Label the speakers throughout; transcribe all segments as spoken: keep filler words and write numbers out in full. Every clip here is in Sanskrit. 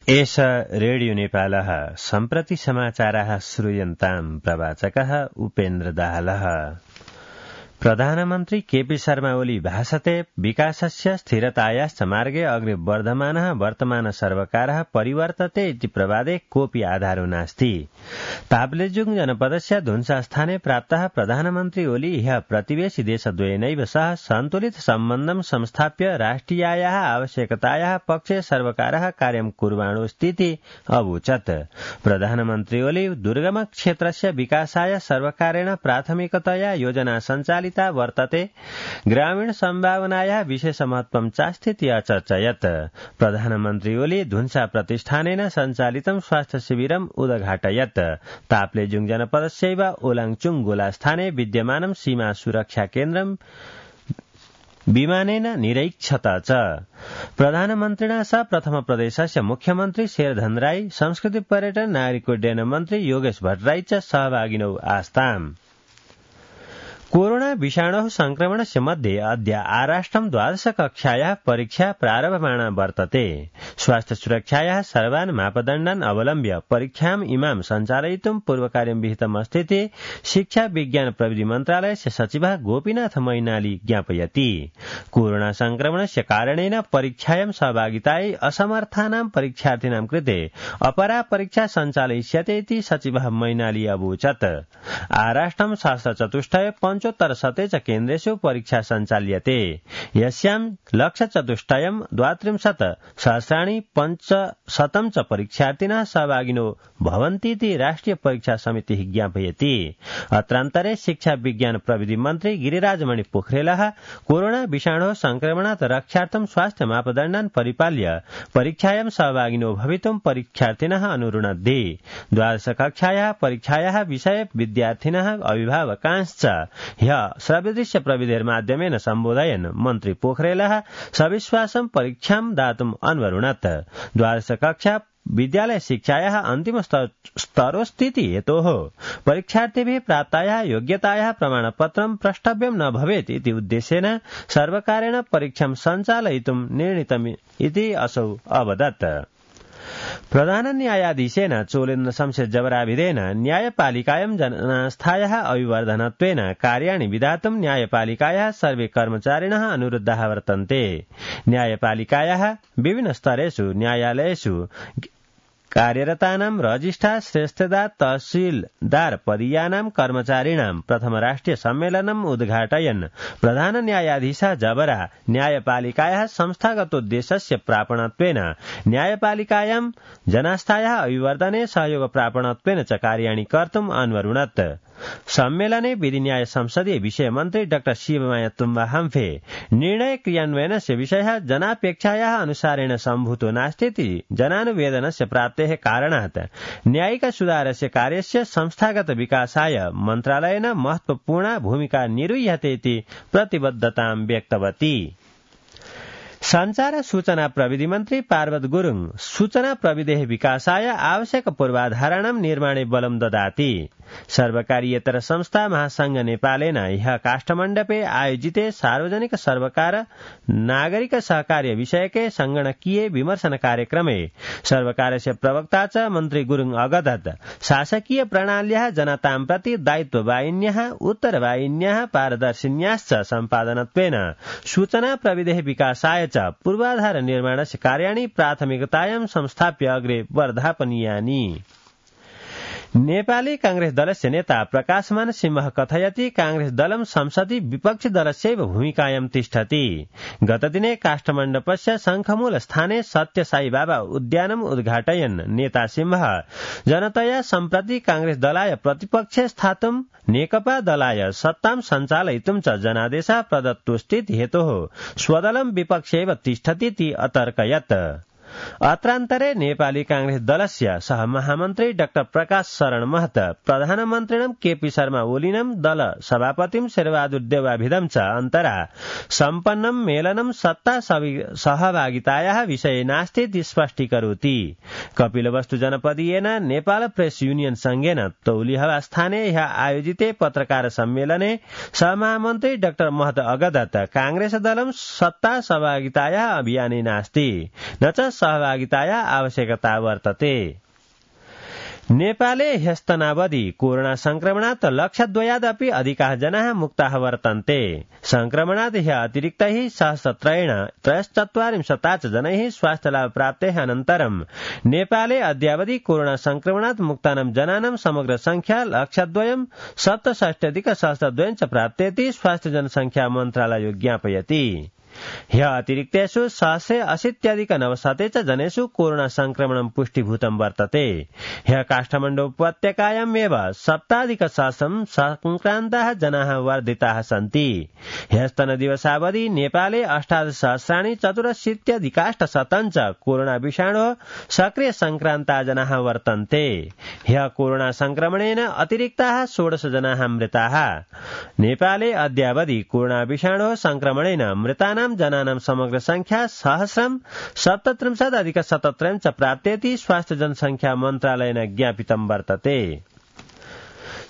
Speaker 1: एष रेडियो नेपालः सम्प्रति समाचाराः श्रूयन्ताम् प्रवाचकः उपेन्द्र दाहालः। प्रधानमन्त्री केपी शर्मा ओली भाषते विकासस्य स्थिरतायाश्च मार्गे अग्रे वर्धमानः वर्तमान सर्वकारः परिवर्तते इति प्रवादे कोऽपि आधारो नास्ति। ताप्लेजुङ जनपदस्य धुन्सास्थाने प्राप्तः प्रधानमन्त्री ओली ह्यः प्रतिवेशी देशद्वयेनैव सह सन्तुलित सम्बन्धं संस्थाप्य राष्ट्रियायाः आवश्यकतायाः पक्षे सर्वकारः कार्यं कुर्वाणोऽस्तीति अवोचत्। प्रधानमन्त्री ओली दुर्गम क्षेत्रस्य विकासाय सर्वकारेण प्राथमिकतया योजना सञ्चालित वर्तते, ग्रामीण सम्भावनायाः विशेष महत्त्वं चास्तीति अचर्चयत्। प्रधानमन्त्री ओली धुन्सा प्रतिष्ठानेन सञ्चालितं स्वास्थ्य शिविरम् उद्घाटयत्। ताप्लेजुङ जनपदस्यैव ओलाङचुङ गोलास्थाने विद्यमानं सीमा सुरक्षा केन्द्रं विमानेन निरीक्षत च। प्रधानमन्त्रिणा सह प्रथम प्रदेशस्य मुख्यमन्त्री शेरधन राई, संस्कृति पर्यटन नागरिक उड्डयन मन्त्री योगेश भट्टराई च सहभागिनौ आस्ताम्। कोरोना विषाणोः संक्रमणस्य मध्ये अद्य आराष्ट्रं द्वादश कक्षायाः परीक्षा प्रारभमाणा वर्तते। स्वास्थ्य सुरक्षायाः सर्वान् मापदण्डान् अवलम्ब्य परीक्षाम् इमां सञ्चालयितुं पूर्वकार्यं विहितम् अस्तीति शिक्षा विज्ञान प्रविधि मन्त्रालयस्य सचिवः गोपीनाथ मैनाली ज्ञापयति। कोरोना संक्रमणस्य कारणेन परीक्षायां सहभागितायै असमर्थानां परीक्षार्थिनां कृते अपरा परीक्षा सञ्चालयिष्यते इति सचिवः मैनाली अवोचत्। आराष्ट्रं सहस्रचतुष्टय पंचोत्तर शते च केन्द्रेषु परीक्षा सञ्चाल्यते। यस्यां लक्षचतुष्टयं द्वात्रिंशत् सहस्राणि पञ्चशतं च परीक्षार्थिनः सहभागिनो भवन्तीति राष्ट्रिय परीक्षा समितिः ज्ञापयति। अत्रान्तरे शिक्षा विज्ञान प्रविधि मन्त्री गिरिराजमणि पोखरेलः कोरोना विषाणोः संक्रमणात् रक्षार्थं स्वास्थ्य मापदण्डान् परिपाल्य परीक्षायां सहभागिनो भवितुं परीक्षार्थिनः अनुरुणद्धि। द्वादश कक्षायाः परीक्षायाः विषये विद्यार्थिनः अभिभावकांश्च ह्यः श्रव्यदृश्य प्रविधेर्माध्यमेन सम्बोधयन् मन्त्री पोखरेलः सविश्वासं परीक्षां दातुम् अन्वरुणत्। द्वादश कक्षा विद्यालय शिक्षायाः अन्तिम स्तरोस्तीति हेतोः परीक्षार्थिभिः प्राप्तायाः योग्यतायाः प्रमाणपत्रं प्रष्टव्यं न भवेत् इति उद्देश्येन सर्वकारेण परीक्षां सञ्चालयितुं निर्णीतम् इति असौ अवदत्। प्रधान न्यायाधीशेन चोलेन्द्र शमशेर जबराभिधेन न्यायपालिकायां जनास्थायाः अभिवर्धनत्वेन कार्याणि विधातुं न्यायपालिकायाः सर्वे कर्मचारिणः अनुरुद्धाः वर्तन्ते। न्यायपालिकायाः विभिन्न स्तरेषु न्यायालयेषु कार्यरतानां रजिस्ट्रार श्रेष्ठदार तहसीलदार पदीयानां कर्मचारिणां प्रथम राष्ट्रिय सम्मेलनम् उद्घाटयन् प्रधान न्यायाधीशः जबरा न्यायपालिकायाः संस्थागतोद्देश्यस्य प्रापणत्वेन न्यायपालिकायां जनास्थायाः अभिवर्धने सहयोग प्रापणत्वेन च कार्याणि कर्तुम् अन्वरुणत्। सम्मेलने विधि न्याय संसदीय विषय मन्त्री डाक्टर शिवमाया तुम्बा हम्फे निर्णय क्रियान्वयनस्य विषयः जनापेक्षायाः अनुसारेण सम्भूतो नास्तीति जनानुवेदनस्य प्राप्तेः कारणात् न्यायिक सुधारस्य कार्यस्य संस्थागत विकासाय मन्त्रालयेन महत्वपूर्णा भूमिका निरूह्यते इति प्रतिबद्धतां व्यक्तवती। संचार सूचना प्रविधि मन्त्री पार्वत गुरुङ सूचना प्रविधेः विकासाय आवश्यक पूर्वाधाराणां निर्माणे बलं ददाति। सर्वकारीयतर संस्था महासंघ नेपालेन ह्यः काष्ठमण्डपे आयोजिते सार्वजनिक सर्वकार नागरिक सहकार्य विषयके संगणकीय विमर्शन कार्यक्रमे सर्वकारस्य प्रवक्ता च मन्त्री गुरुङ अगदत् शासकीय प्रणाल्याः जनतां प्रति दायित्ववाहिन्याः उत्तरवाहिन्याः पारदर्शिन्याश्च सम्पादनत्वेन सूचना प्रविधेः विकासाय च पूर्वाधार निर्माणस्य कार्याणि प्राथमिकतायां संस्थाप्य अग्रे वर्धापनीयानि। नेपाली कांग्रेस दलस्य नेता प्रकाशमान सिंह कथयति कांग्रेस दलं संसदि विपक्षी दलस्यैव भूमिकायां तिष्ठति। गतदिने काष्ठमण्डपस्य शङ्खमूल स्थाने सत्यसाई बाबा उद्यानम् उद्घाटयन् नेता सिंह जनतया सम्प्रति कांग्रेस दलाय प्रतिपक्षे स्थातुं नेकपा दलाय सत्तां सञ्चालयितुं च जनादेशः प्रदत्तोऽस्तीति हेतोः स्वदलं विपक्षेव तिष्ठतीति अतर्कयत्। अत्रान्तरे नेपाली कांग्रेस दलस्य सह महामन्त्री डाक्टर प्रकाश शरण महत प्रधानमन्त्रिणं केपी शर्मा ओलिनं दल सभापतिं शेरबहादुर देउवाभिधं च अन्तरा सम्पन्नं मेलनं सत्ता सहभागितायाः विषये नास्तीति स्पष्टीकरोति। कपिलवस्तु जनपदीयेन नेपाल प्रेस युनियन संघेन तौलिहवा स्थाने ह्यः आयोजिते पत्रकार सम्मेलने सहमहामन्त्री डाक्टर महत अगदत् कांग्रेस दलं सत्ता सहभागितायाः अभियाने नास्ति न च सहभागिताया आवश्यकता वर्तते। नेपाले ह्यस्तनावधि कोरोना संक्रमणात् लक्षद्वयादपि अधिकाः जनाः मुक्ताः वर्तन्ते। संक्रमणात् ह्य अतिरिक्तैः सहस्रत्रयेण त्रयश्चत्वारिंशता च जनैः स्वास्थ्यलाभ प्राप्तेः अनन्तरं नेपाले अद्यावधि कोरोना संक्रमणात् मुक्तानां जनानां समग्र संख्या लक्षद्वयं सप्तषष्ट्यधिक सहस्रद्वयं च प्राप्तेति स्वास्थ्य जनसंख्या मन्त्रालयो ज्ञापयति। ह्य अतिरिक्तेषु सहस्रे अशीत्यधिक नवशते च जनेषु कोरोना संक्रमणं पुष्टिभूतं वर्तते। ह्य काठमाडौँ उपत्यकायामेव सप्ताधिक सहस्रं संक्रान्ताः जनाः वर्धिताः सन्ति। ह्यस्तनदिवसावधि नेपाले अष्टादशसहस्राणि चतुरशीत्यधिकाष्टशतं च कोरोना विषाणोः सक्रिय संक्रान्ताः जनाः वर्तन्ते। ह्य कोरोना संक्रमणेन अतिरिक्ताः षोडश जनाः मृताः। नेपाले अद्यावधि कोरोना विषाणोः संक्रमणेन मृतानां जनानां समग्र संख्या सहस्रं सप्तत्रिंशदधिक शतत्रयं च प्राप्तेति स्वास्थ्य जनसंख्या मन्त्रालयेन ज्ञापितं वर्तते।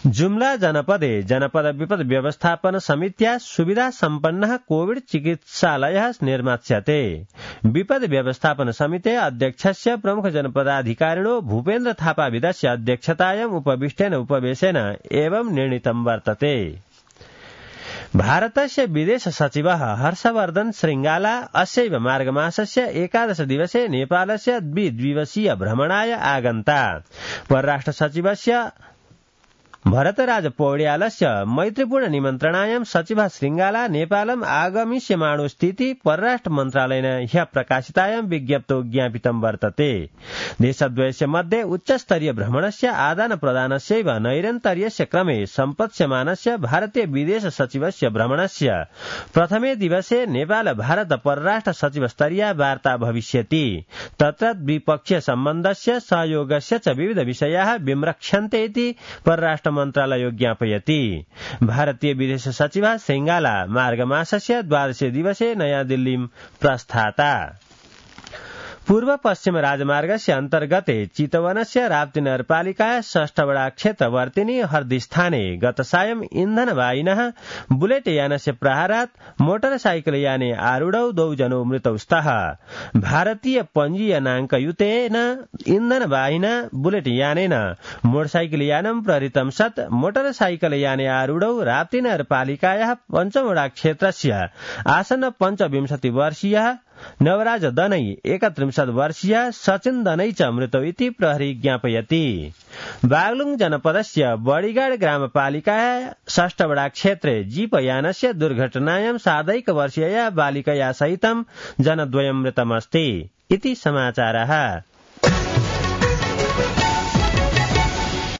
Speaker 1: जुम्ला जनपदे जनपद विपद व्यवस्थापन समित्या सुविधा सम्पन्नः कोविड चिकित्सालयः निर्मास्यते। विपद व्यवस्थापन समिते अध्यक्षस्य प्रमुख जनपदाधिकारिणो भूपेन्द्र थापा विदस्य अध्यक्षतायाम् उपविष्टेन उपवेशेन एवं निर्णीतं वर्तते। भारतस्य विदेश सचिवः हर्षवर्धन श्रृंगाला अस्यैव मार्गमासस्य एकादश दिवसे नेपालस्य द्विदिवसीय भ्रमणाय आगन्ता। परराष्ट्र सचिवस्य भरतराज पौड्यालस्य मैत्रीपूर्ण निमन्त्रणायां सचिवः श्रृंगाला नेपालम् आगमिष्यमाणोस्थिति परराष्ट्र मन्त्रालयेन ह्यः प्रकाशितायां विज्ञप्तौ ज्ञापितं वर्तते। देशद्वयस्य मध्ये उच्चस्तरीय भ्रमणस्य आदान प्रदानस्यैव नैरन्तर्यस्य क्रमे सम्पत्स्यमानस्य भारतीय विदेश सचिवस्य भ्रमणस्य प्रथमे दिवसे नेपाल भारत परराष्ट्र सचिव स्तरीया वार्ता भविष्यति। तत्र द्विपक्षीय सम्बन्धस्य सहयोगस्य च विविध विषयाः विम्रक्ष्यन्ते इति परराष्ट्र मन्त्रालयो ज्ञापयति। भारतीय विदेश सचिवः श्रृंगाला मार्गमासस्य द्वादशे दिवसे नयाँ दिल्लीं प्रस्थाता। पूर्व पश्चिम राजमार्गस्य अन्तर्गते चितवनस्य राप्ती नगरपालिकाया षष्ठवडा क्षेत्रवर्तिनि हर्दिस्थाने गतसायं इन्धनवाहिनः बुलेट यानस्य प्रहारात् मोटरसाइकलयाने आरूढौ द्वौ जनौ मृतौ स्तः। भारतीय पञ्जीयनाङ्कयुतेन इन्धनवाहिना बुलेट यानेन मोटरसाइकलयानं प्रहृतं सत् मोटरसाइकलयाने आरूढौ राप्ती नगरपालिकायाः पञ्चमवडा क्षेत्रस्य आसन्न पञ्चविंशति वर्षीयः नवराज दनै एकत्रिंशत् वर्षीय सचिन दनै च मृतौ इति प्रहरी ज्ञापयति। बागलुङ जनपदस्य बडीगाड ग्रामपालिकाया षष्ठवडा क्षेत्रे जीपयानस्य दुर्घटनायां सार्धैक वर्षीया बालिकया सहितं जनद्वयं मृतमस्ति इति समाचारः।